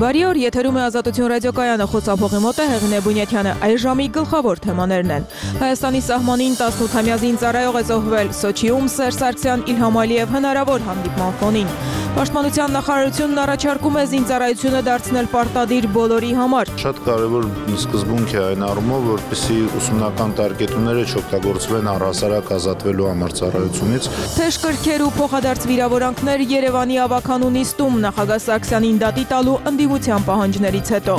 Բարի օր, եթերում է Ազատություն ռադիոկայանը, խոսափողի մոտ է Հեղինե Բունյաթյանը։ Այս ժամի գլխավոր թեմաներն են. Հայաստանի սահմանին 18-ամյա զինծառայող է զոհվել, Սոչիում Սերժ Սարգսյան Իլհամ Ալիև հնարավոր հանդիպման ֆոնին։ Պաշտպանության նախարարությունն առաջարկում է զինծառայությունը դարձնել պարտադիր բոլորի համար։ Շատ կարևոր սկզբունք է այն առումով, որպեսզի ուսումնական տարկետումները չօգտագործվեն առհասարակ ազատվելու համար ծառայությունից։ Թեժ կրքեր ու փոխադարձ վիրավորանքներ Երևանի ավականու նիստում նախագահ Սարգսյանին դատի տալու ընդդիմության պահանջներից հետո։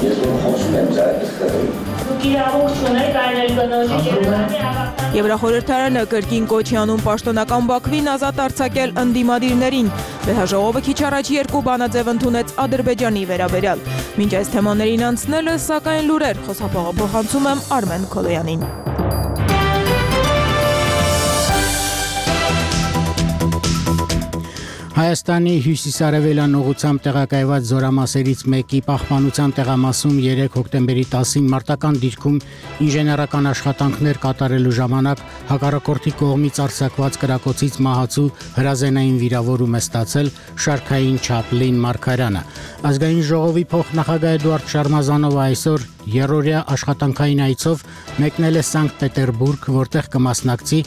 Եվրախորհրդարանը կրկին կոչ է անում պաշտոնական Բաքվին ազատ արձակել ընդդիմադիրներին։ Վեհաժողովը քիչ առաջ երկու բանաձև ընդունեց Ադրբեջանի վերաբերյալ։ Մինչ այս թեմաներին անցնելը, սակայն լուրեր, խոսափողը փոխանցում եմ Արմեն Քոլոյանին։ Հայաստանի հյուսիսարևելյան ուղղությամբ տեղակայված զորամասերից մեկի պահպանության տեղամասում 3 հոկտեմբերի 10-ին մարտական դիրքում ինժեներական աշխատանքներ կատարելու ժամանակ հակառակորդի կողմից արձակված կրակոցից մահացու հրազենային վիրավորում է ստացել Շարքային Չապլին Մարգարյանը։ Ազգային ժողովի փոխնախագահ Էդուարդ Շարմազանովը այսօր երրորդյա աշխատանքային այցով մեկնել է Սանկտ Պետերբուրգ, որտեղ կմասնակցի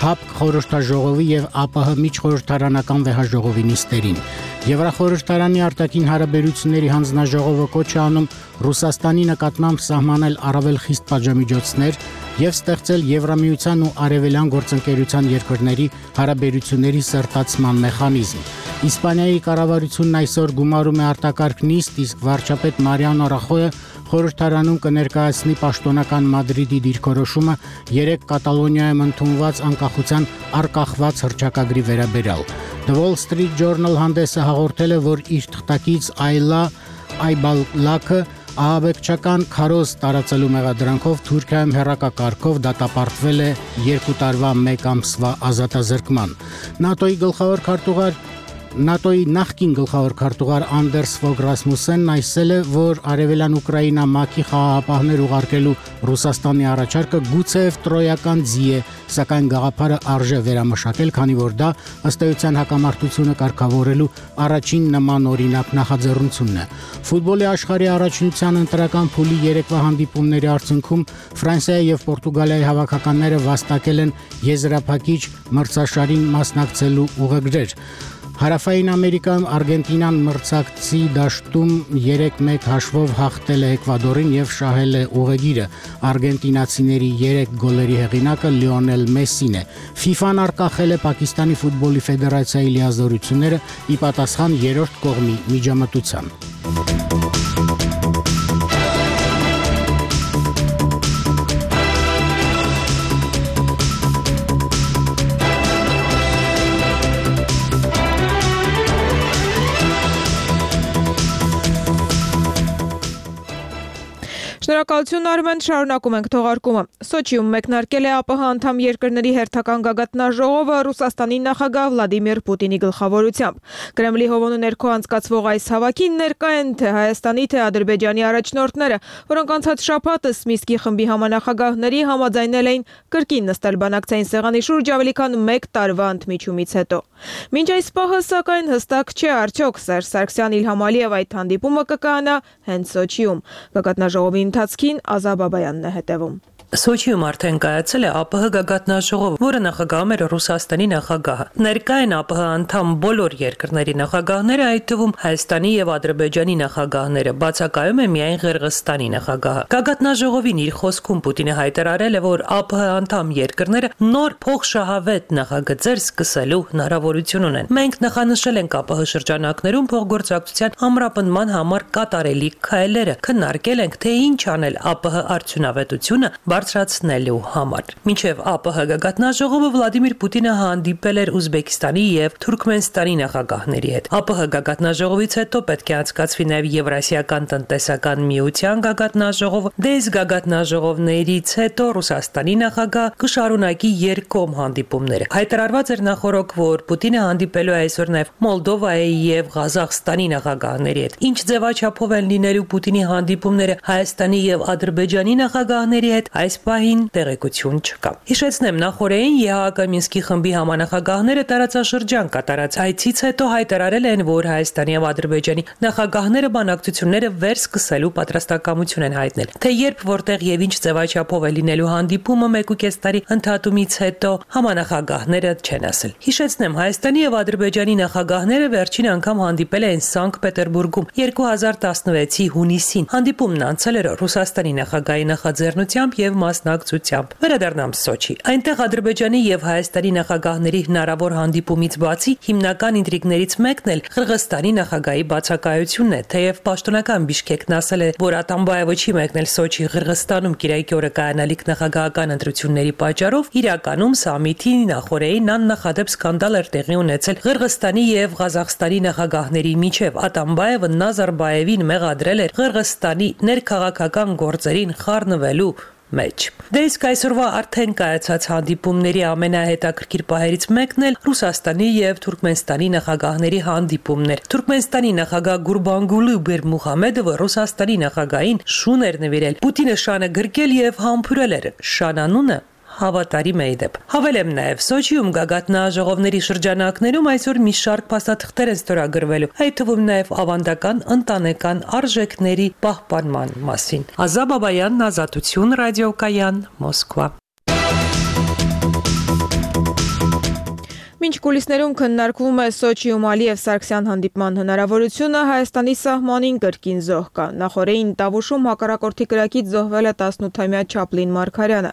ՀԱՊԿ խորհրդաժողովի եւ ԱՊՀ միջխորհրդարանական վեհաժողովի նիստերին։ Եվրախորհրդարանի արտաքին հարաբերությունների հանձնաժողովը կոչ է անում Ռուսաստանի նկատմամբ սահմանել առավել խիստ պատժամիջոցներ եւ ստեղծել Եվրամիության ու Արևելյան գործընկերության երկրների հարաբերությունների սերտացման մեխանիզմ։ Իսպանիայի կառավարությունն այսօր գումարում է արտակարգ նիստ, իսկ վարչապետ Մարիանո Ռախոյը խորհրդարանում կներկայացնի պաշտոնական Մադրիդի դիրքորոշումը 3 Կատալոնիայում ընդունված անկախության արկախված հռչակագրի վերաբերյալ։ The Wall Street Journal հանդեսը հաղորդել է, որ իր թղթակից Այլա Այբալլակը ահաբեկչական քարոզ տարածելու մեղադրանքով Թուրքիայում հեռակակարգով դատապարտվել է 2 տարվա 1 ամսվա ազատազրկման։ ՆԱՏՕ-ի նախկին գլխավոր քարտուղար Անդերս Ֆոգ Ռասմուսենն այսել է, որ Արևելյան Ուկրաինա ՄԱԿ-ի խաղաղապահներ ուղարկելու Ռուսաստանի առաջարկը գուցեև տրոյական ձի է, սակայն գաղափարը արժե վերամշակել, քանի որ դա ըստ էության հակամարտությունը կարգավորելու առաջին նման օրինակ նախաձեռնությունն է։ Ֆուտբոլի աշխարհի առաջնության ընտրական փուլի երեկվա հանդիպումների արդյունքում Ֆրանսիայի եւ Պորտուգալիայի հավաքականները վաստակել են եզրափակիչ մրցաշարին մասնակցելու ուղեգրեր։ Հարավային Ամերիկայում Արգենտինան մրցակցի դաշտում 3-1 հաշվով հաղթել է Էկվադորին եւ շահել է ուղեգիրը։ Արգենտինացիների 3 գոլերի հեղինակը Լիոնել Մեսսին է։ FIFA-ն արկախել է Պակիստանի ֆուտբոլի ֆեդերացիայի լիազորությունները ի պատասխան երրորդ կողմի միջամտության։ Շնորհակալություն Արմեն, շարունակում ենք թողարկումը։ Սոչիում մեկնարկել է ԱՊՀ անդամ երկրների հերթական գագաթնաժողովը Ռուսաստանի նախագահ Վլադիմիր Պուտինի գլխավորությամբ։ Կրեմլի հովանու ներքո անցկացվող այս հավաքին ներկա են թե Հայաստանի, թե Ադրբեջանի առաջնորդները, որոնք անցած շաբաթ Միսկի խմբի համանախագահների համաձայնել էին կրկին նստել բանակցային սեղանի շուրջ ավելի քան 1 տարվա ընդմիջումից հետո։ Մինչ այս պահը, սակայն, հստակ չէ արդյոք Սերժ Սարգսյան Իլհամ Ալիև այդ հանդիպումը կկայանա հենց Սոչիում։ Գագաթնաժողովի ընթացքին Ազա Բաբայանն է հետևում։ Սոչիում արդեն կայացել է ԱՊՀ գագաթնաժողով, որը նախագահում էր Ռուսաստանի նախագահը։ Ներկա են ԱՊՀ անդամ բոլոր երկրների նախագահները, այդ թվում Հայաստանի եւ Ադրբեջանի նախագահները, բացակայում է միայն Ղրղըզստանի նախագահը։ Գագաթնաժողովին իր խոսքում Պուտինը հայտարարել է, որ ԱՊՀ անդամ երկրները նոր փոխշահավետ նախագծեր սկսելու հնարավորություն ունեն։ Մենք նախանշել ենք ԱՊՀ շրջանակներում փոխգործակցության ամրապնդման համար կատարելի քայլերը, քննարկել ենք, թե ինչ անել ԱՊՀ արդյունավետությունը բարձրացնելու համար։ Մինչև ԱՊՀ գագաթնաժողովը Վլադիմիր Պուտինը հանդիպել էր Ուզբեկստանի եւ Թուրքմենստանի նախագահների հետ։ ԱՊՀ գագաթնաժողովից հետո պետք է անցկացվի նաեւ Եվրասիական տնտեսական միության գագաթնաժողովը։ Դες գագաթնաժողովներից հետո Ռուսաստանի նախագահ կշարունակի երկկողմ հանդիպումները։ Հայտարարված էր նախորդ, որ Պուտինը հանդիպելու է այսօր նաեւ Մոլդովայի եւ Ղազախստանի նախագահների հետ։ Ինչ ձևաչափով են լինելու Պուտինի հանդիպումները Հայաստանի եւ Ադրբեջանի նախագահների հետ, այս այս պահին տեղեկություն չկա։ Հիշեցնեմ, նախորդին ԵԱՀԿ Մինսկի խմբի համանախագահները տարածաշրջան կատարած այցից հետո հայտարարել են, որ Հայաստանի եւ Ադրբեջանի նախագահները բանակցությունները վերսկսելու պատրաստակամություն են հայտնել։ Թե երբ, որտեղ եւ ինչ ձևաչափով է լինելու հանդիպումը 1.5 տարի ընդհատումից հետո համանախագահները չեն ասել։ Հիշեցնեմ, Հայաստանի եւ Ադրբեջանի նախագահները վերջին անգամ հանդիպել էին Սանկտ Պետերբուրգում 2016-ի հունիսին։ Հանդիպումն անցել էր Ռուսաստանի նախագահի նախաձեռնությամբ եւ մասնակցությամբ։ Վերադառնամ Սոչի։ Այնտեղ Ադրբեջանի եւ Հայաստանի նախագահների հնարավոր հանդիպումից բացի հիմնական ինտրիգներից մեկն էլ Қырғызստանի նախագահի բացակայությունն է, թեև պաշտոնական Բիշկեկն ասել է, որ Ատամբաևը չի մեկնել Սոչի Қырғызստանում կիրակի օրը կայանալիք նախագահական ընտրությունների պատճառով, իրականում սամիթի նախորդին աննախադեպ սկանդալ էր տեղի ունեցել Қырғызստանի եւ Ղազախստանի նախագահների միջև։ Ատամբաևը Նազարբաևին մեղադրել էր Қырғызստանի ներքաղաքական գործերին խառնվելու մեջ։ Դե իսկ այսօրվա արդեն կայացած հանդիպումների ամենահետաքրքիր պահերից մեկն էլ Ռուսաստանի եւ Թուրքմենստանի նախագահների հանդիպումն էր։ Թուրքմենստանի նախագահ Գուրբանգուլի Բերմուհամեդովը Ռուսաստանի նախագահին շուն էր նվիրել։ Պուտինը շանը գրկել եւ համբուրել էր։ Շանանունը հավատարիմ է դեպ։ Հավելեմ նաև Սոչիում գագաթնաժողովների շրջանակներում այսօր մի շարք փաստաթղթեր են ստորագրվելու, այդ թվում նաև ավանդական ընտանեկան արժեքների պահպանման մասին։ Ազա Բաբայան, Ազատություն, ռադիոկայան, Մոսկվա։ Մինչ կուլիսներում քննարկվում է Սոչիում Ալիև Սարգսյան հանդիպման հնարավորությունը, Հայաստանի սահմանին կրկին զոհ կա։ Նախորդին Տավուշում հակառակորդի կրակից զոհվել է 18-ամյա Չապլին Մարգարյանը։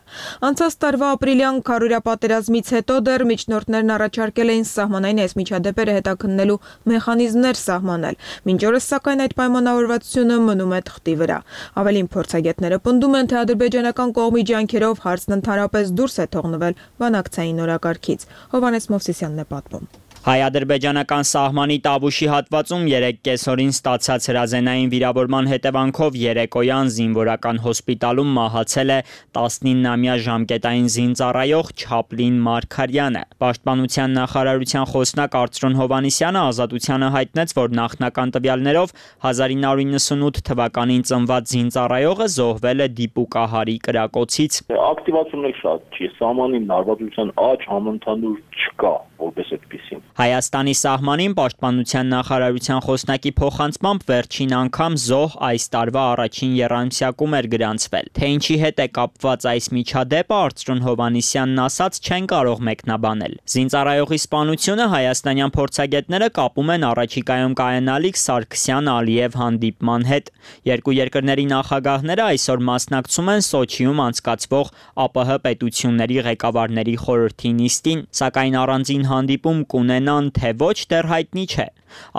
Անցած տարվա ապրիլյան քարորյա պատերազմից հետո դեռ միջնորդներն առաջարկել էին սահմանային այս միջադեպերը հետաքննելու մեխանիզմներ սահմանել։ Մինչ օրս սակայն այդ պայմանավորվածությունը մնում է թղթի վրա։ Ավելին փորձագետները պնդում են, թե ադրբեջանական կողմի ջանքերով հարցն ընդհանրապես դուրս է թողնվել բանակցային օրակարգից։ Հովհաննես Մովսիսյանն է պատմում։ Հայ-ադրբեջանական սահմանի Տավուշի հատվածում 3 կեսօրին ստացած հրազենային վիրավորման հետևանքով երեկոյան զինվորական հոսպիտալում մահացել է 19-ամյա ժամկետային զինծառայող Չապլին Մարգարյանը։ Պաշտպանության նախարարության խոսնակ Արծրուն Հովհաննիսյանը Ազատությանը հայտնեց, որ նախնական տվյալներով 1998 թվականին ծնված զինծառայողը զոհվել է դիպուկահարի կրակոցից։ Ակտիվացիոնն շատ չի, սահմանին լարվածության աճ համընդհանուր չկա, որպես այդպեսին։ Հայաստանի սահմանին պաշտպանության նախարարության խոսնակի փոխանցմամբ վերջին անգամ զոհ այս տարվա առաջին եռամսյակում էր գրանցվել։ Թե ինչի հետ է կապված այս միջադեպը, Արծրուն Հովհաննիսյանն ասաց, չեն կարող մեկնաբանել։ Զինծառայողի սպանությունը հայաստանյան փորձագետները կապում են առաջիկայում կայանալիք Սարգսյան-Ալիև հանդիպման հետ։ Երկու երկրների նախագահները այսօր մասնակցում են Սոչիում անցկացվող ԱՊՀ պետությունների ղեկավարների խորհրդի նիստին, սակայն առանձին հանդիպում կունենան, թե ոչ դեռ հայտնի չէ։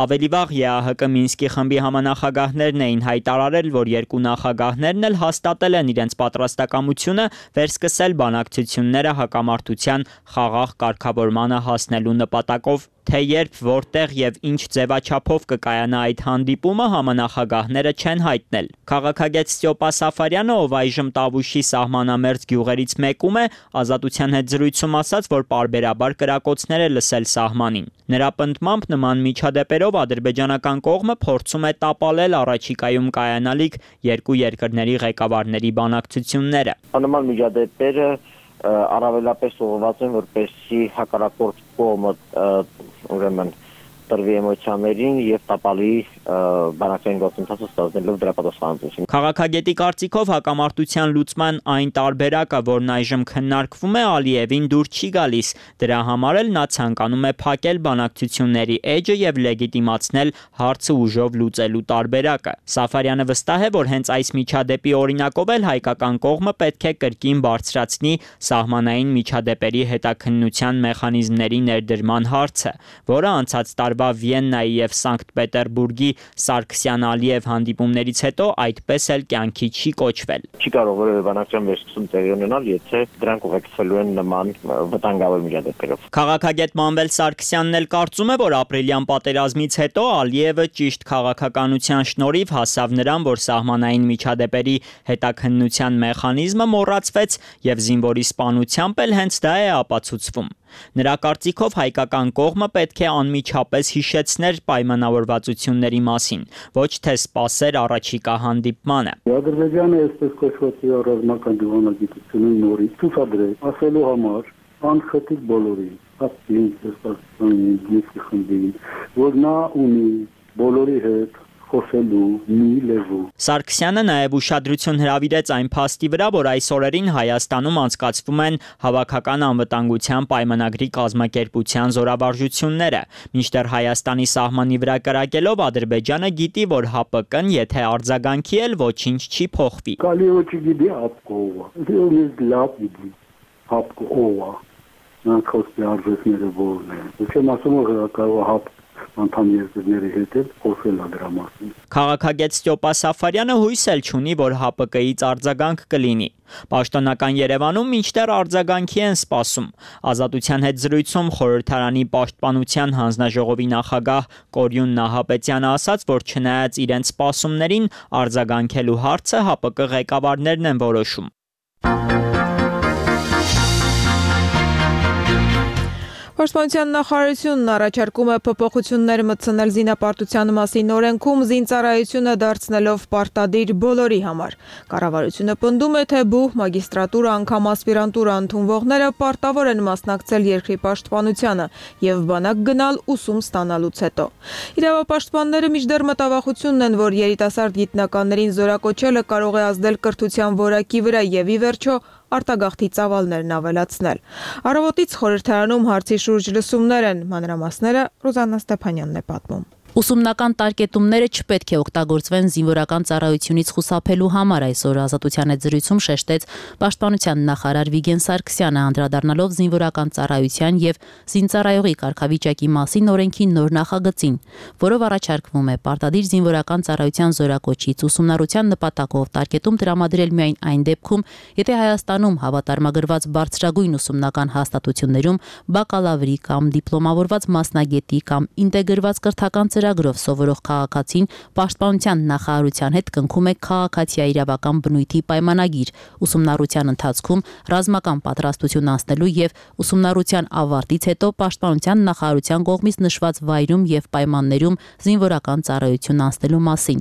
Ավելի վաղ ԵԱՀԿ Մինսկի խմբի համանախագահներն էին հայտարարել, որ երկու նախագահներն էլ հաստատել են իրենց պատրաստակամությունը վերսկսել բանակցությունները հակամարտության խաղաղ կարգավորմանը հասնելու նպատակով։ Թե երբ, որտեղ եւ ինչ ձևաչափով կկայանա այդ հանդիպումը, համանախագահները չեն հայտնել։ Քաղաքագետ Ստյոպա Սաֆարյանը, ով այժմ Տավուշի սահմանամերձ գյուղերից մեկում է, Ազատության հետ զրույցում ասաց, որ պարբերաբար կրակոցներ է լսել սահմանին։ Նրա պնդմամբ նման միջադեպերով ադրբեջանական կողմը փորձում է տապալել առաջիկայում կայանալիք երկու երկրների ղեկավարների բանակցությունները։ Նման միջադեպերը առավելապես ուղղված են, որպեսզի հակառակորդ կողմը ուրեմն տրվի էմոցիաներին եւ տապալի բանակցային գործընթացը ստանալով դրա պատասխանատվություն։ Քաղաքագետի կարծիքով հակամարտության լուծման այն տարբերակը, որն այժմ քննարկվում է, Ալիևին դուր չի գալիս։ Դրա համար էլ նա ցանկանում է փակել բանակցությունների էջը եւ լեգիտիմացնել հարցը ուժով լուծելու տարբերակը։ Սաֆարյանը վստահ է, որ հենց այս միջադեպի օրինակով էլ հայկական կողմը պետք է կրկին բարձրացնի սահմանային միջադեպերի հետաքննության մեխանիզմների ներդրման հարցը, որը անցած տարվա Վիեննայի եւ Սանկտ Պետերբուրգի Սարգսյան-Ալիև հանդիպումներից հետո այդպես էլ կյանքի չի կոչվել։ Չի կարող որևէ բանակցության վերսկսում տեղի ունենալ, եթե դրանք ուղեկցվելու են նման վտանգավոր միջադեպերով։ Քաղաքագետ Մանվել Սարգսյանն էլ կարծում է, որ ապրիլյան պատերազմից հետո Ալիևը ճիշտ քաղաքականության շնորհիվ հասավ նրան, որ սահմանային միջադեպերի հետաքննության մեխանիզմը մոռացվեց եւ զինվորի սպանությամբ էլ հենց դա է ապացուցվում։ Նրա կարծիքով հայկական կողմը պետք է անմիջապես եւս հիշեցներ պայմանավորվածությունների մասին, ոչ թե սպասեր առաջիկա հանդիպմանը։ Ադրբեջանը այսպես կոչված ռազմական դիվանագիտությունը նորից ցուցադրել ասելու համար անխտիր բոլորին, որ նա ունի բոլորի հետ խոսելու մի լեզու։ Սարգսյանը նաև ուշադրություն հրավիրեց այն փաստի վրա, որ այս օրերին Հայաստանում անցկացվում են հավաքական անվտանգության պայմանագրի կազմակերպության զորավարժությունները, մինչդեռ Հայաստանի սահմանի վրա կրակելով Ադրբեջանը գիտի, որ ՀԱՊԿ-ն եթե արձագանքի էլ ոչինչ չի փոխվի։ Կալիոչի գիտի ՀԱՊԿ-ով, ինձ լավ գիտի ՀԱՊԿ-ով, նանկոսի արժեքները որն են։ Չեմ ասում, որ կարող ՀԱՊԿ անդամ երկրների հետ խոսել դրա մասին։ Քաղաքագետ Ստյոպա Սաֆարյանը հույս էլ չունի, որ ՀԱՊԿ-ից արձագանք կլինի։ Պաշտոնական Երևանում մինչդեռ արձագանքի են սպասում։ Ազատության հետ զրույցում խորհրդարանի պաշտպանության հանձնաժողովի նախագահ Կորյուն Նահապետյանը ասաց, որ չնայած իրենց սպասումներին արձագանքելու հարցը ՀԱՊԿ ղեկավարներն են որոշում։ Պաշտպանության նախարարությունն առաջարկում է փոփոխություններ մտցնել զինապարտության մասին օրենքում զինծառայությունը դարձնելով պարտադիր բոլորի համար։ Կառավարությունը պնդում է, թե բուհ, մագիստրատուրա, անգամ ասպիրանտուրա ընդունվողները պարտավոր են մասնակցել երկրի պաշտպանությանը եւ բանակ գնալ ուսում ստանալուց հետո։ Իրավապաշտպանները մինչդեռ մտավախությունն են, որ երիտասարդ գիտնականներին զորակոչելը կարող է ազդել կրթության որակի վրա եւ ի վերջո արտագաղթի ծավալներն ավելացնել։ Առավոտից խորհրդարանում հարցի շուրջ լսումներ են, մանրամասները Ռուզաննա Ստեփանյանն է պատմում։ Ուսումնական տարկետումները չպետք է օգտագործվեն զինվորական ծառայությունից խուսափելու համար, այսօր Ազատության հետ զրույցում շեշտեց Պաշտպանության նախարար Վիգեն Սարգսյանը, անդրադառնալով զինվորական ծառայության եւ զինծառայողի կարգավիճակի մասին օրենքի նոր նախագծին, որով առաջարկվում է պարտադիր զինվորական ծառայության զորակոչից ուսումնառության նպատակով տարկետում տրամադրել միայն այն դեպքում, եթե Հայաստանում հավատարմագրված բարձրագույն ուսումնական հաստատություններում բակալավրի կամ դիպլոմավորված մասնագետի կամ ինտեգրված կրթական ծրագրով սովորող քաղաքացին Պաշտպանության նախարարության հետ կնքում է քաղաքացիա իրավական բնույթի պայմանագիր ուսումնառության ընթացքում ռազմական պատրաստություն անցնելու եւ ուսումնառության ավարտից հետո Պաշտպանության նախարարության կողմից նշված վայրում եւ պայմաններում զինվորական ծառայություն անցնելու մասին։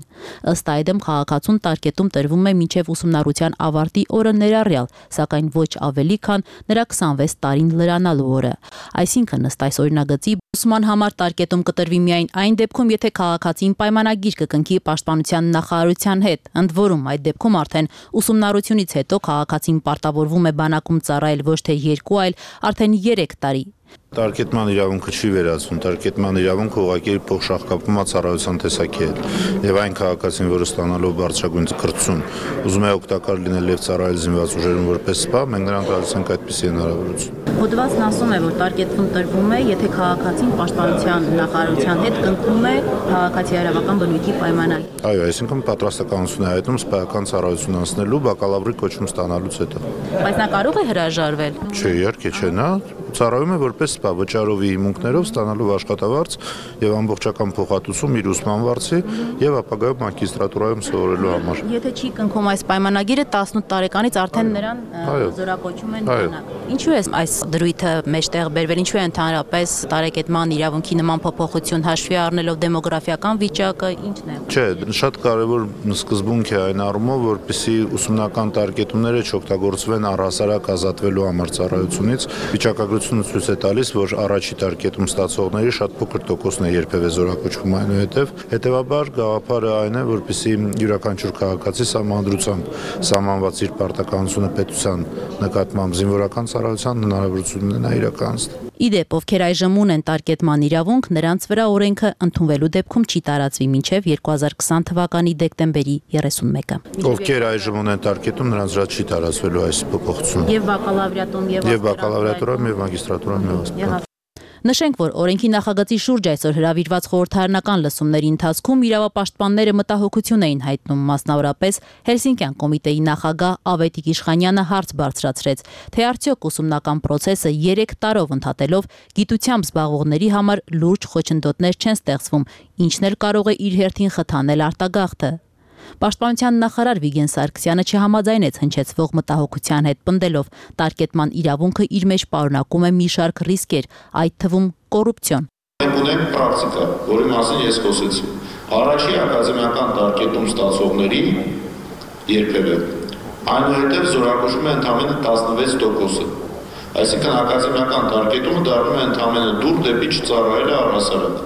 Ըստ այդմ քաղաքացուն տարկետում տրվում է մինչեւ ուսումնառության ավարտի օրը ներառյալ, սակայն ոչ ավելի քան նրա 26 տարին լրանալու օրը։ Այսինքն ըստ այս օրինագծի ուսման համար տարկետում կտրվի միայն այն դեպքում, եթե քաղաքացին պայմանագիր կկնքի Պաշտպանության նախարարության հետ, ընդ որում այդ դեպքում արդեն ուսումնառությունից հետո քաղաքացին պարտավորվում է բանակում ծառայել ոչ թե 2, այլ արդեն 3 տարի։ Տարկետման իրավունքը չի վերացվում, տարկետման իրավունքը ուղղակի փոխշահկապում է ծառայության տեսակի հետ։ Եվ այն քաղաքացին, որը ստանալով բարձրագույն կրթություն ուզում է օգտակար լինել եւ ծառայել զինված ուժերում որպես սպա, մենք նրան տալիս ենք այդպիսի հնարավորություն։ Հոդվածն ասում է, որ տարկետում տրվում է, եթե քաղաքացին Պաշտպանության նախարարության հետ կնքում է քաղաքացիա իրավական բնույթի պայմանագիր։ Այո, այսինքն պատրաստականություն է հայտնում սպայական ծառայություն անցնելու բակալավրի կոչում ստանալուց հետո։ Բայց նա կարող է հրաժարվել։ Չէ, իհարկե չէ, նա ծառայում է որպես սպա վճարովի հիմունքներով ստանալով աշխատավարձ եւ ամբողջական փոխհատուցում իր ուսման վարձի եւ ապագայում մագիստրատուրայում սովորելու համար։ Եթե չի կնքում այս պայմանագիրը 18 տարեկանից արդեն նրան զորակոչում են բանակ։ Ինչու է այս դրույթը մեջտեղ բերվել, ինչու է ընդհանրապես տարեկետման իրավունքի նման փոփոխություն հաշվի առնելով դեմոգրաֆիական վիճակը, ինչն է։ Չէ, շատ կարևոր սկզբունք է այն առումով, որպեսզի ուսումնական տարկետումները չօգտագործվեն առհասարակ ազատվելու համար ծառայությունից։ Վիճակագրությունը ցույց է տալիս, որ առաջի տարկետում ստացողների շատ փոքր տոկոսն է երբևէ զորակոչվում, այնուհետև հետևաբար գաղափարը այն է, որպեսզի յուրաքանչյուր քաղաքացի սահմանադրությամբ սահմանված իր պարտականությունը պետության նկատմամբ զինվորական ծառայության հնարավորություն ունենա իրականացնել։ Իդեպ, ովքեր այժմ ունեն տարկետման իրավունք, նրանց վրա օրենքը ընդունվելու դեպքում չի տարածվի մինչև 2020 թվականի դեկտեմբերի 31-ը։ Ովքեր այժմ ունեն տարկետում, նրանց վրա չի տարածվելու այս փոփոխությունը։ Եվ բակալավրիատում եւ բակալավրիատուրայում եւ մագիստրատուրայում եւ Նշենք, որ օրենքի նախագծի շուրջ այսօր հրավիրված խորհրդարանական լսումների ընթացքում իրավապաշտպանները մտահոգություն էին հայտնում, մասնավորապես Հելսինկյան կոմիտեի նախագահ Ավետիք Իշխանյանը հարց բարձրացրեց, թե արդյոք ուսումնական process-ը 3 տարով ընդհատելով գիտությամբ զբաղվողների համար լուրջ խոչընդոտներ չեն ստեղծվում, ինչն էլ կարող է իր հերթին խթանել արտագաղթը։ Պաշտպանության նախարար Վիգեն Սարգսյանը չհամաձայնեց հնչեցվող մտահոգության հետ, պնդելով տարկետման իրավունքը իր մեջ պարունակում է մի շարք ռիսկեր, այդ թվում կոռուպցիոն։ Մենք ունենք պրակտիկա, որի մասին ես խոսեցի։ Առաջի ակադեմիական տարկետում ստացողների երբևէ այնուհետև զորակոչվում է ընդամենը 16%-ը։ Այսինքն ակադեմիական տարկետումը դառնում է ընդամենը դուր դեպի չծառայել առհասարակ։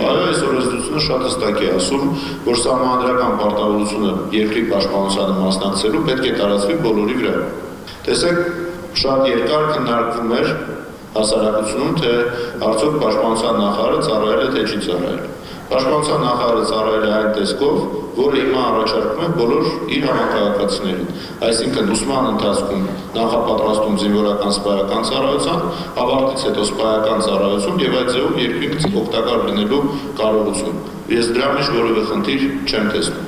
Այո, այս օրենսդրությունը շատ հստակ է ասում, որ սահմանադրական պարտավորությունը երկրի պաշտպանությանը մասնակցելու պետք է տարածվի բոլորի վրա։ Տեսեք, շատ երկար քննարկվում էր հասարակությունում, թե արդյոք պաշտպանության նախարարը ծառայել է, թե չի ծառայել։ Պաշտպանության նախարարը ծառայել է այն տեսքով, որը հիմա առաջարկում է բոլոր իր համակարգացիներին։ Այսինքն ուսման ընթացքում նախապատրաստում զինվորական սպայական ծառայության, ավարտից հետո սպայական ծառայություն եւ այդ ձևով երկրի օգտակար լինելու կարողություն։ Ես դրա մեջ որևէ խնդիր չեմ տեսնում։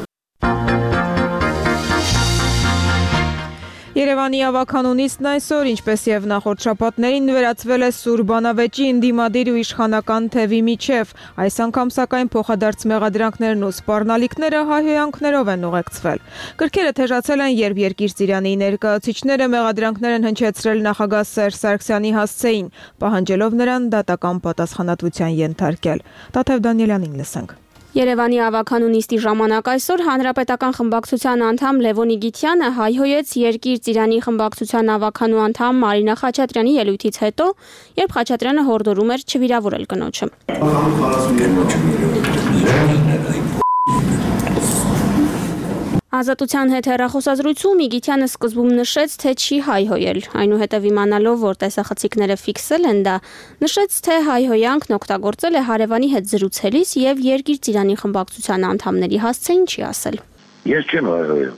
Երևանի ավականունիցն այսօր, ինչպես եւ նախորդ շաբաթներին, վերածվել է Սուր բանավեճի ընդդիմադիր ու իշխանական թևի միջև։ Այս անգամ սակայն փոխադարձ մեղադրանքներն ու սպառնալիքները հայհոյանքներով են ուղեկցվել։ Կրքերը թեժացել են, երբ Երկիր Ծիրանի ներկայացուցիչները մեղադրանքներ են հնչեցրել նախագահ Սերժ Սարգսյանի հասցեին, պահանջելով նրան դատական պատասխանատվության ենթարկել։ Տաթև Դանիելյանին լսենք։ Երևանի ավականունիստի ժամանակ այսօր հանրապետական խմբակցության անդամ Լևոն Իգիթյանը հայհոյեց Երկիր Ծիրանի խմբակցության ավականու անդամ Մարինա Խաչատրյանի ելույթից հետո, երբ Խաչատրյանը հորդորում էր չվիրավորել կնոջը։ Ազատության հետ հեռախոսազրույցում Իգիթյանը սկզբում նշեց, թե չի հայհոյել, այնուհետև իմանալով, որ տեսախցիկները ֆիքսել են դա, նշեց, թե հայհոյանքն օգտագործել է հարևանի հետ զրուցելիս եւ Երկիր Ծիրանի խմբակցության անդամների հասցեին չի ասել։ Ես չեմ հայհոյել։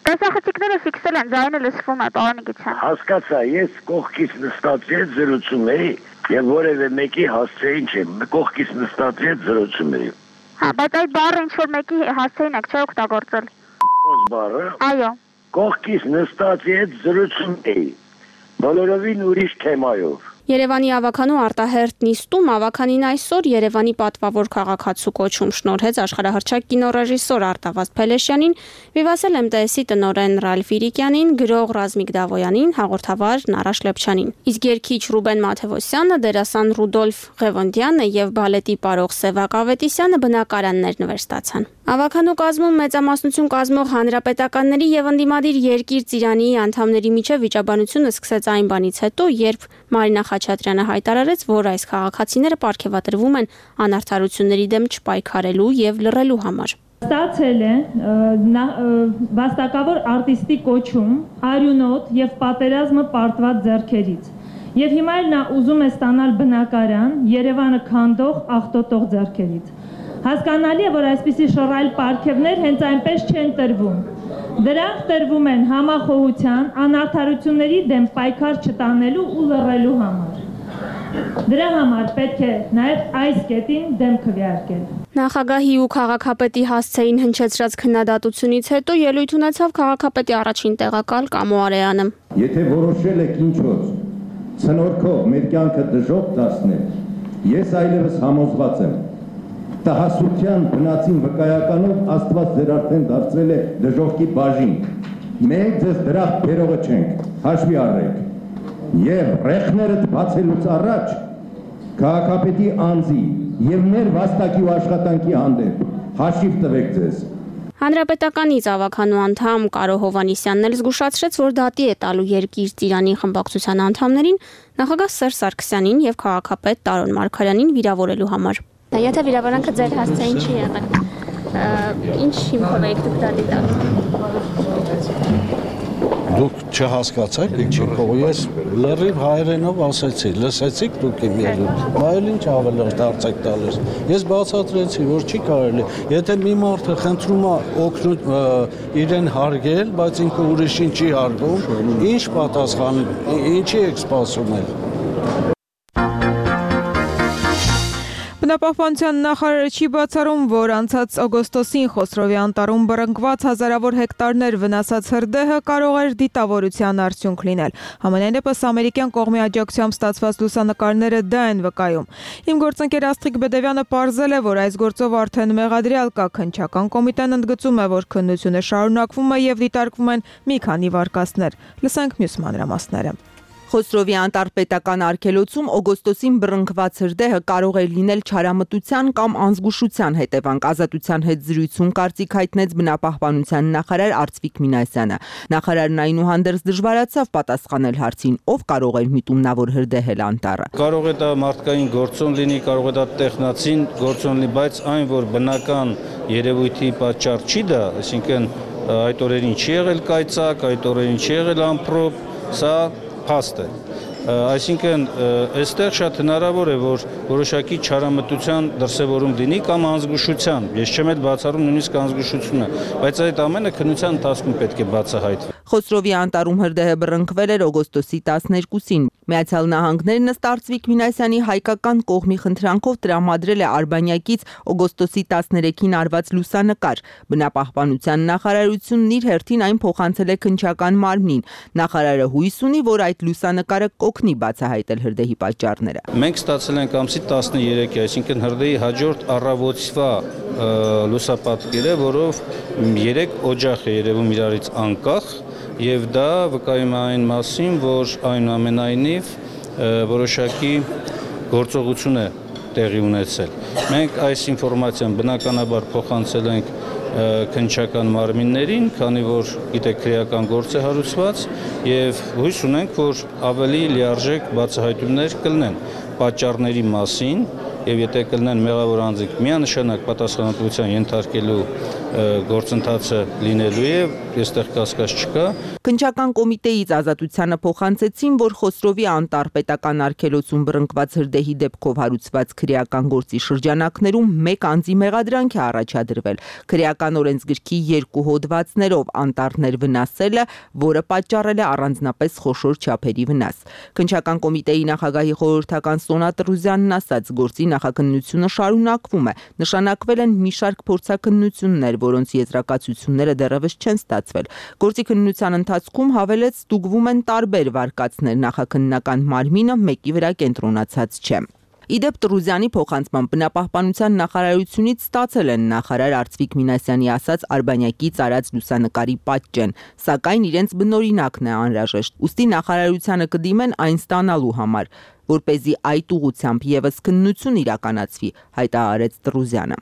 Տեսախցիկները ֆիքսել են, ձայնը լսվում է, պարոն Իգիթյան։ Հասկացա, ես կողքից նստած հետ զրուցում էի եւ որևէ մեկի հասցեին չեմ, կողքից նստած հետ զրուցում էի։ Հա, բայց այդ բառը ինչ որ մեկի հասցեին եք չէ օգտագործել։ Բառը։ Այո։ Կողքից նստած հետ զրուցում էի։ Բոլորովին ուրիշ թեմայով։ Երևանի ավականու արտահերտ նիստում ավականին այսօր Երևանի պատվավոր քաղաքացու կոչում շնորհեց աշխարհահռչակ կինոռեժիսոր Արտավազդ Փելեշյանին, Վիվասել MTS-ի տնօրեն Ռալֆ Իրիկյանին, գրող Ռազմիկ Դավոյանին, հաղորդավար Նարաշ Լեփչյանին։ Իսկ երգիչ Ռուբեն Մաթևոսյանը, դերասան Ռուդոլֆ Ղևոնդյանը եւ բալետի պարող Սևակ Ավետիսյանը բնակարաններ նվերստացան։ Ավականու կազմում մեծամասնություն կազմող հանրապետականների եւ ընդդիմադիր Երկիր Ծիրանի անդամների միջև վիճաբանությունը սկսեց այն բանից հետո, երբ Մարինա Խաչատրյանը հայտարարեց, որ այս քաղաքացիները պարգևատրվում են անարդարությունների դեմ չպայքարելու եւ լռելու համար։ Ստացել է վաստակավոր արտիստի կոչում, արյունոտ եւ պատերազմը պարտված ձեռքերից։ Եվ հիմա էլ նա ուզում է ստանալ բնակարան Երևանը քանդող աղտոտող ձեռքերից։ Հասկանալի է, որ այսպիսի շռայլ պարգևներ հենց այնպես չեն տրվում։ Դրանք տրվում են համախոհության, անարդարությունների դեմ պայքար չտանելու ու լռելու համար։ Դրա համար պետք է նաև այս կետին դեմ քվեարկել։ Նախագահի ու քաղաքապետի հասցեին հնչեցրած քննադատությունից հետո ելույթ ունեցավ քաղաքապետի առաջին տեղակալ Կամո Արեյանը։ Եթե որոշել եք ինչ-որ ցնորքով մեր կյանքը դժոխք դարձնել, ես այլևս համոզված եմ, տհասության բնածին վկայականով Աստված ձեր արդեն դարձրել է դժոխքի բաժին։ Մենք ձեզ դրախտ բերողը չենք, հաշվի առեք։ Եվ ռեխներդ բացելուց առաջ քաղաքապետի անձի եւ մեր վաստակի ու աշխատանքի հանդեպ հաշիվ տվեք ձեզ։ Հանրապետականից ավականու անդամ Կարո Հովանիսյանն էլ զգուշացրեց, որ դատի է տալու Երկիր Ծիրանի խմբակցության անդամներին նախագահ Սերժ Սարգսյանին եւ քաղաքապետ Տարոն Մարգարյանին վիրավորելու համար։ Եթե վիրավորանքը ձեր հասցեին չի եղել, ինչ հիմքով եք դուք դատի տալու։ Դուք չհասկացաք, ինչի կողմ ես լրիվ հայերենով ասեցի, լսեցիք դուք իմ ելույթը, բայց ինչ ավելի դարձեք տալիս։ Ես բացատրեցի, որ չի կարելի, եթե մի մարդը խնդրում է օգնում իրեն հարգել, բայց ինքը ուրիշին չի հարգում, ինչ պատասխան, ինչի եք սպասում եք։ Բնապահպանության նախարարը չի բացառում, որ անցած օգոստոսին Խոսրովի անտառում բռնկված հազարավոր հեկտարներ վնասած հրդեհը կարող էր դիտավորության արդյունք լինել։ Համենայնդեպս ամերիկյան կողմի աջակցությամբ ստացված լուսանկարները դա են վկայում։ Իմ գործընկեր Աստղիկ Բեդևյանը պարզել է, որ այս գործով արդեն մեղադրյալ կա, քննչական կոմիտեն ընդգծում է, որ քննությունը շարունակվում է եւ դիտարկվում են մի քանի վարկածներ։ Լսենք մյուս մանրամասները։ Խոսրովի անտարպետական արգելոցում օգոստոսին բռնկված հրդեհը կարող է լինել չարամտության կամ անզգուշության հետևանք, ազատության հետ զրույցում կարծիք հայտնեց բնապահպանության նախարար Արծվիկ Մինասյանը։ Նախարարն այնուհանդերձ դժվարացավ պատասխանել հարցին, ով կարող էր միտումնավոր հրդեհել անտառը։ Կարող է դա մարդկային գործոն լինի, կարող է դա տեխնացին գործոն լինի, բայց այն, որ բնական երևույթի պատճառ չի դա, այսինքն այդ օրերին չի եղել կայծակ, այդ օրերին չի եղել ամպրոպ, սա փաստ է։ Այսինքն այստեղ շատ հնարավոր է, որ որոշակի չարամտության դրսևորում լինի կամ անզգուշության։ Ես չեմ էլ բացառում նույնիսկ անզգուշությունը, բայց այդ ամենը քննության ընթացքում պետք է բացահայտվի։ Խոսրովի անտառում հրդեհը բռնկվել էր օգոստոսի 12-ին։ Միացյալ Նահանգներն ըստ Արծվիկ Մինասյանի հայկական կողմի խնդրանքով տրամադրել է Արբանյակից օգոստոսի 13-ին արված լուսանկար։ Բնապահպանության նախարարությունն իր հերթին այն փոխանցել է քննչական մարմնին։ Նախարարը հույս ունի, որ այդ լուսանկարը կօգնի բացահայտել հրդեհի պատճառները։ Մենք ստացել ենք ամսի 13-ի, այսինքն հրդեհի հաջորդ առավոտվա լուսապատկերը, որով 3 օջախ է երևում իրարից անկախ, եւ դա վկայում է այն մասին, որ այնուամենայնիվ որոշակի գործողություն է տեղի ունեցել։ Մենք այս ինֆորմացիան բնականաբար փոխանցել ենք քննչական մարմիններին, քանի որ գիտեք քրեական գործ է հարուցված եւ հույս ունենք, որ ավելի լիարժեք բացահայտումներ կլինեն պատճառների մասին եւ եթե կլինեն մեղավոր անձինք միանշանակ պատասխանատվության ենթարկելու գործընթացը լինելու է, այստեղ կասկած չկա։ Քննչական կոմիտեից ազատությանը փոխանցեցին, որ Խոսրովի անտարպետական արգելոցում բռնկված հրդեհի դեպքով հարուցված քրեական գործի շրջանակներում 1 անձի մեղադրանք է առաջադրվել։ Քրեական օրենսգրքի 2 հոդվածներով անտառներ վնասելը, որը պատճառել է առանձնապես խոշոր չափերի վնաս։ Քննչական կոմիտեի նախագահի խորհրդական Սոնա Տրուզյանն ասաց, գործի նախաքննությունը շարունակվում է։ Նշանակվել են մի շարք փորձաքննություններ, որոնց եզրակացությունները դեռևս չեն ստացվել։ Գործի քննության ընթացքում հավելեց ստուգվում են տարբեր վարկածներ, նախաքննական մարմինը մեկի վրա կենտրոնացած չէ։ Իդեպ Տրուզյանի փոխանցման բնապահպանության նախարարությունից ստացել են նախարար Արծվիկ Մինասյանի ասած Արբանյակից արած լուսանկարի պատճեն, սակայն իրենց բնօրինակն է անհրաժեշտ։ Ուստի նախարարությանը կդիմեն այն ստանալու համար, որպեսզի այդ ուղղությամբ եւս քննություն իրականացվի, հայտարարեց Տրուզյանը։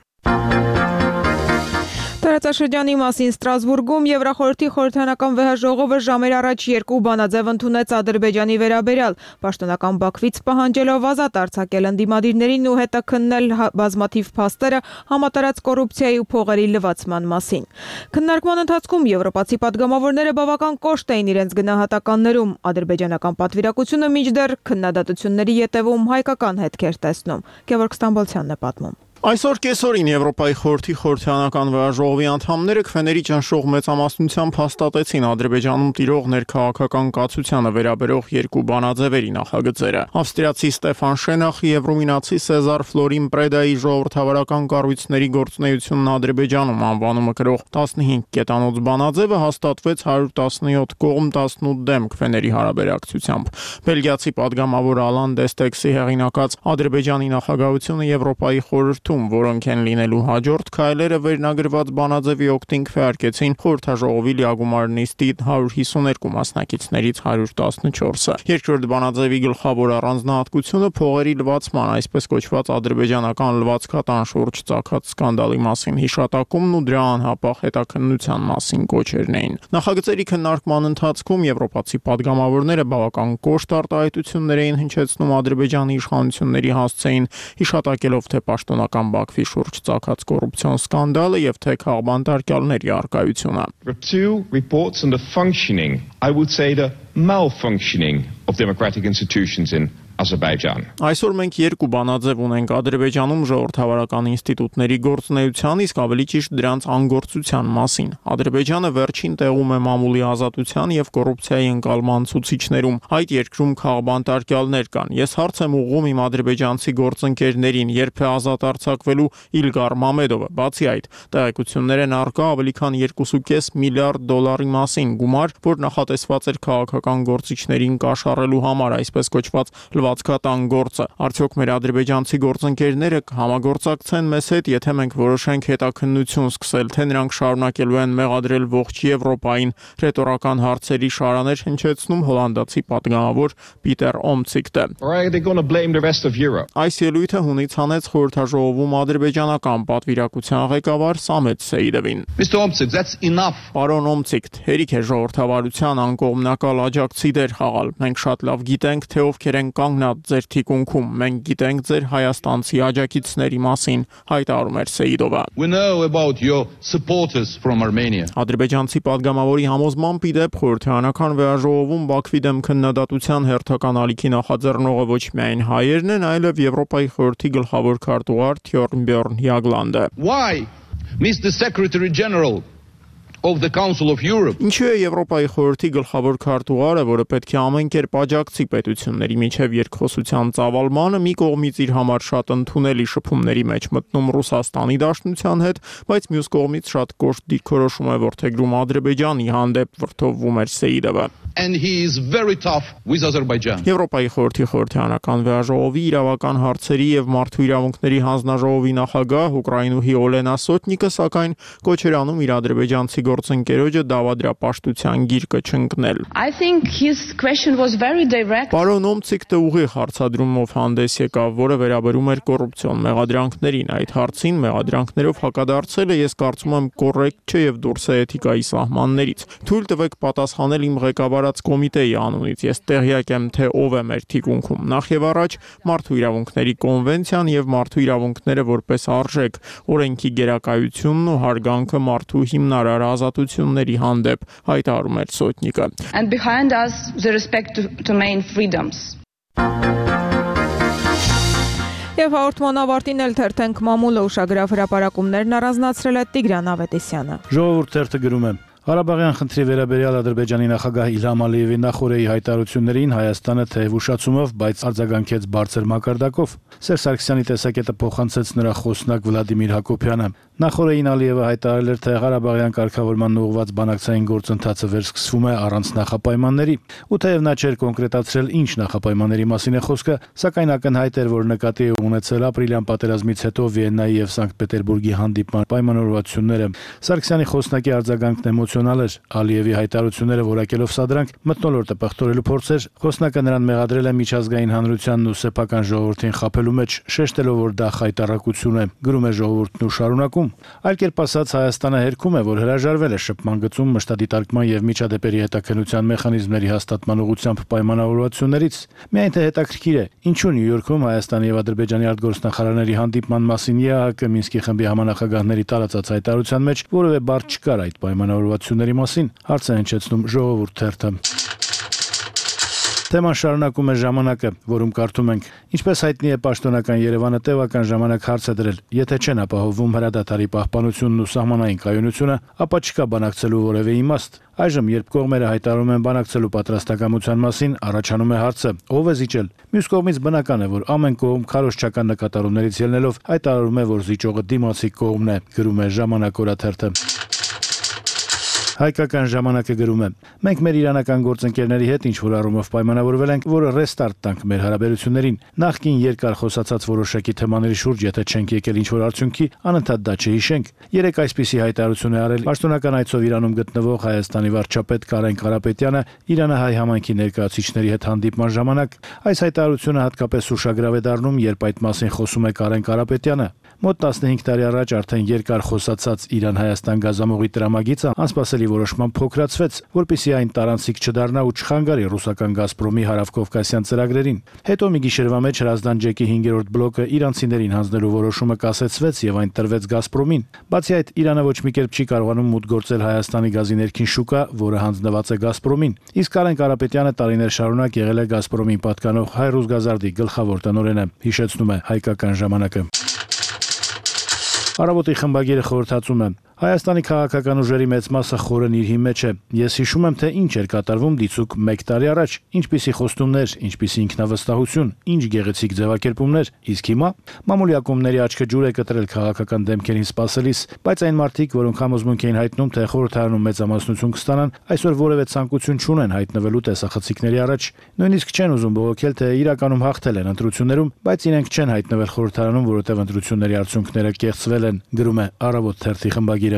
Տարածաշրջանի մասին Ստրասբուրգում Եվրախորհրդի խորհրդարանական վեհաժողովը ժամեր առաջ 2 բանաձև ընդունեց Ադրբեջանի վերաբերյալ, պաշտոնական Բաքվից պահանջելով ազատ արձակել ընդդիմադիրներին ու հետաքննել բազմաթիվ փաստերը համատարած կոռուպցիայի ու փողերի լվացման մասին։ Քննարկման ընթացքում եվրոպացի պատգամավորները բավական կոշտ էին իրենց գնահատականներում։ Ադրբեջանական պատվիրակությունը մինչդեռ քննադատությունների ետևում հայկական հետքեր տեսնում։ Գևորգ Ստամբոլցյանն է պատմում։ Այսօր կեսօրին Եվրոպայի խորհրդի խորհրդարանական վեհաժողովի անդամները քվեների ճնշող մեծամասնությամբ հաստատեցին Ադրբեջանում տիրող ներքաղաքական կացությանը վերաբերող 2 բանաձևերի նախագծերը։ Ավստրիացի Ստեֆան Շենախի եւ ռումինացի Սեզար Ֆլորին Պրեդայի ժողովրդավարական կառույցների գործունեությունն Ադրբեջանում անվանումը կրող 15 կետանոց բանաձևը հաստատվեց 117 կողմ 18 դեմ քվեների հարաբերակցությամբ։ Բելգիացի падգամավոր Ալան Դեստեքսի հեղինակած Ադրբեջանի նախագահությունը Եվրոպայի խորհրդում, որոնք են լինելու հաջորդ քայլերը վերնագրված բանաձևի օգտին քվեարկեցին խորհրդաժողովի լիագումար նիստի 152 մասնակիցներից 114-ը։ Երկրորդ բանաձևի գլխավոր առանձնահատկությունը փողերի լվացման, այսպես կոչված ադրբեջանական լվացքատան շուրջ ծագած սկանդալի մասին հիշատակումն ու դրա անհապաղ հետաքննության մասին կոչերն էին։ Նախագծերի քննարկման ընթացքում եվրոպացի падգամավորները բավական կոշտ արտահայտություններ էին հնչեցնում Ադրբեջանի իշխանությունների հասցեին, հիշատակելով թե պաշտոնական Բաքվի շուրջ ծագած կոռուպցիոն սկանդալը եւ թե քաղբանտարկյալների արկայությունը. Two reports on the functioning, I would say the malfunctioning of democratic institutions in Azerbaijan. Այսօր մենք 2 բանաձև ունենք Ադրբեջանում ժողովրդավարական ինստիտուտների գործունեության, իսկ ավելի ճիշտ դրանց անգործության մասին։ Ադրբեջանը վերջին տեղում է մամուլի ազատության եւ կոռուպցիայի ընկալման ցուցիչներում։ Այդ երկրում քաղբանտարկյալներ կան։ Ես հարց եմ ուղղում իմ ադրբեջանցի գործընկերներին, երբ է ազատ արձակվելու Իլգար Մամեդովը։ Բացի այդ, տեղեկություններ են առկա ավելի քան 2.5 միլիարդ դոլարի մասին գումար, որ նախատեսված էր քաղաքական գործիչներին կաշառելու համար, այսպես կոչված ծածկատան գործը։ Արդյոք մեր ադրբեջանցի գործընկերները կհամագործակցեն մեզ հետ, եթե մենք որոշենք հետաքննություն սկսել, թե նրանք շարունակելու են մեղադրել ողջ Եվրոպային, ռետորական հարցերի շարաներ հնչեցնում հոլանդացի պատգամավոր Պիտեր Օմցիկտը։ Այս ելույթը հունից հանեց խորհրդաժողովում ադրբեջանական պատվիրակության ղեկավար Սամետ Սեյդովին։ Պարոն Օմցիկտ, հերիք է ժողովրդավարության անկողմնակալ աջակցի դեր խաղալ։ Մենք շատ լավ գիտենք, թե ովքեր են կանգնած ձեր թիկունքում։ Մենք գիտենք ձեր հայաստանցի աջակիցների մասին, հայտարարում էր Սեյդովը։ Ադրբեջանցի պատգամավորի համոզմամբ ի դեպ խորհրդարանական վերաժողովում Բաքվի դեմ քննադատության հերթական ալիքի նախաձեռնողը ոչ միայն հայերն են, այլև Եվրոպայի խորհրդի գլխավոր քարտուղար Թյորնբյորն Յագլանդը։ Mr. Secretary General of the Council of Europe. Ինչու է Եվրոպայի խորհրդի գլխավոր քարտուղարը, որը պետք է ամեն կերպ աջակցի պետությունների միջև երկխոսության ծավալմանը, մի կողմից իր համար շատ ընդունելի շփումների մեջ մտնում Ռուսաստանի Դաշնության հետ, բայց մյուս կողմից շատ կոշտ դիրքորոշում է որդեգրում Ադրբեջանի հանդեպ, վրդովվում էր Սեյդովը։ And he is very tough with Azerbaijan. Եվրոպայի խորհրդի խորհրդարանական վերաժողովի իրավական հարցերի եւ մարդու իրավունքների հանձնաժողովի նախագահ Ուկրաինուհի Օլենա Սոտնիկը սակայն կոչ էր անում իր ադրբեջանցի գործընկերոջը դավադրապաշտության գիրկը չընկնել։ I think his question was very direct. Պարոն Օմցիկտը ուղիղ հարցադրումով հանդես եկավ, որը վերաբերում էր կոռուպցիոն մեղադրանքներին։ Այդ հարցին մեղադրանքներով հակադարձելը ես կարծում եմ կոռեկտ չէ եւ դուրս է էթիկայի սահմաններից։ Թույլ տվեք պատասխանել իմ ղեկավարած կոմիտեի անունից։ Ես տեղյակ եմ, թե ով է մեր թիկունքում։ Նախ եւ առաջ մարդու իրավունքների կոնվենցիան եւ մարդու իրավունքները որպես արժեք, օրենքի գերակայությունն ու հարգանքը մարդու հիմնարար ազատությունների հանդեպ, հայտարարում էր Սոտնիկը։ And behind us the respect to main freedoms. Եվ հաղորդման ավարտին էլ թերթենք մամուլը ուշագրավ հրապարակումներն առանձնացրել է Տիգրան Ավետիսյանը։ Ժողովուրդ թերթը գրում է. Ղարաբաղյան խնդրի վերաբերյալ Ադրբեջանի նախագահ Իլհամ Ալիևի նախորդի հայտարարություններին Հայաստանը թեև ուշացումով, բայց արձագանքեց բարձր մակարդակով։ Սերժ Սարգսյանի տեսակետը փոխանցեց նրա խոսնակ Վլադիմիր Հակոբյանը։ Նախորդին Ալիևը հայտարարել էր, թե Ղարաբաղյան կարգավորման ուղղված բանակցային գործընթացը վերսկսվում է առանց նախապայմանների։ Ու թեև նա չէր կոնկրետացրել ինչ նախապայմանների մասին է խոսքը, սակայն ակնհայտ էր, որ նկատի է ունեցել ապրիլյան պատերազմից հետո Վիեննայի եւ Սանկտ Պետերբուրգի հանդիպման պայմանավորվածությունները։ Սարգսյանի խոսնակի արձագանքն էմոցիոնալ էր։ Ալիևի հայտարարությունները որակելով սադրանք մթնոլորտը պղտորելու փորձեր, խոսնակը նրան մեղադրել է միջազգային հանրությանն ու սեփական ժողովրդին խաբելու մեջ, շեշտելով, որ դա խայտառակություն է, գրում է ժողովուրդն ու շարունակում։ Այլ կերպ ասած, Հայաստանը հերքում է, որ հրաժարվել է շփման գծում մշտադիտարկման եւ միջադեպերի հետաքննության մեխանիզմների հաստատման ուղղությամբ պայմանավորվածություններից։ Միայն թե հետաքրքիր է, ինչու Նյու Յորքում Հայաստանի եւ Ադրբեջանի արտգործնախարարների հանդիպման մասին ԵԱՀԿ Մինսկի խմբի համանախագահների տարածած հայտարարության մեջ որևէ բառ չկար այդ պայմանավորվածությունների մասին, հարց է հնչեցնում Ժողովուրդ թերթը։ Թեման շարունակում է Ժամանակը, որում կարդում ենք. Ինչպես հայտնի է, պաշտոնական Երևանը տևական ժամանակ հարց է դրել. եթե չեն ապահովում հրադադարի պահպանությունն ու սահմանային կայունությունը, ապա չկա բանակցելու որևէ իմաստ։ Այժմ, երբ կողմերը հայտարարում են բանակցելու պատրաստակամության մասին, առաջանում է հարցը. ով է զիջել։ Մյուս կողմից բնական է, որ ամեն կողմ քարոզչական նկատառումներից ելնելով հայտարարում է, որ զիջողը դիմացի կողմն է, գրում է Ժամանակ օրաթերթը։ Հայկական ժամանակը գրում է. մենք մեր իրանական գործընկերների հետ ինչ-որ առումով պայմանավորվել ենք, որ ռեստարտ տանք մեր հարաբերություններին։ Նախկին երկար խոսացած որոշակի թեմաների շուրջ, եթե չենք եկել ինչ-որ արդյունքի, անընդհատ դա չհիշենք։ Երեք այսպիսի հայտարարություն է արել պաշտոնական այցով Իրանում գտնվող Հայաստանի վարչապետ Կարեն Կարապետյանը Իրանահայ համայնքի ներկայացուցիչների հետ հանդիպման ժամանակ։ Այս հայտարարությունը հատկապես ուշագրավ է դառնում, երբ այդ մասին խոսում է Կարեն Կարապետյանը։ Մոտ 15 տարի առաջ արդեն երկար խոսացած Իրան-Հայաստան գազամուղի տրամագիծը անսպասելի որոշմամբ փոքրացվեց, որպեսզի այն տարանցիկ չդառնա ու չխանգարի ռուսական Գազպրոմի հարավկովկասյան ծրագրերին։ Հետո մի գիշերվա մեջ Հրազդան ջեկի 5-րդ բլոկը իրանցիներին հանձնելու որոշումը կասեցվեց եւ այն տրվեց Գազպրոմին։ Բացի այդ, Իրանը ոչ մի կերպ չի կարողանում մուտք գործել Հայաստանի գազի ներքին շուկա, որը հանձնված է Գազպրոմին։ Իսկ Կարեն Կարապետյանը տարիներ շարունակ եղել է Գազպրոմին պատկանող Հայ-Ռուսգազարդի գլխավոր տնօրենը, հիշեցնում է Հայկական ժամանակը։ Առավոտի խմբագիրը խորհրդածում է. Հայաստանի քաղաքական ուժերի մեծ մասը խորն իր հիմեջ է։ Ես հիշում եմ, թե ինչ էր կատարվում դիցուք 1 տարի առաջ, ինչպիսի խոստումներ, ինչպիսի ինքնավստահություն, ինչ գեղեցիկ ձևակերպումներ, իսկ հիմա մամուլի ակումբների աչքը ջուր է կտրել քաղաքական դեմքերին սպասելիս, բայց այն մարդիկ, որոնք համոզմունք էին հայտնում, թե խորհրդարանում մեծամասնություն կստանան, այսօր որևէ ցանկություն չունեն հայտնվելու տեսախցիկների առաջ։ Նույնիսկ չեն ուզում բողոքել, թե իրականում հաղթել են ընտրություններում, բայց իրենք չեն հայտնվել խորհրդարանում, որովհետև ընտրությունների արդյունքները կեղծվել են, գրում է Առավոտ թերթի խմբագիրը։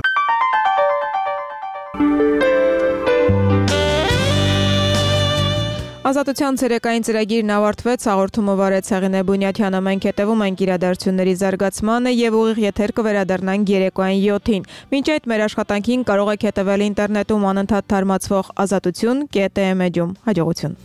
Ազատության ցերեկային ծրագիրն ավարտվեց, հաղորդումը վարեց Հեղինե Բունյաթյանը, մենք հետևում ենք իրադարձությունների զարգացմանը եւ ուղիղ եթեր կվերադառնանք երեկոային 7-ին։ Մինչ այդ մեր աշխատանքին կարող եք հետևել ինտերնետում անընդհատ թարմացվող azatutun.am-ում։ Հաջողություն։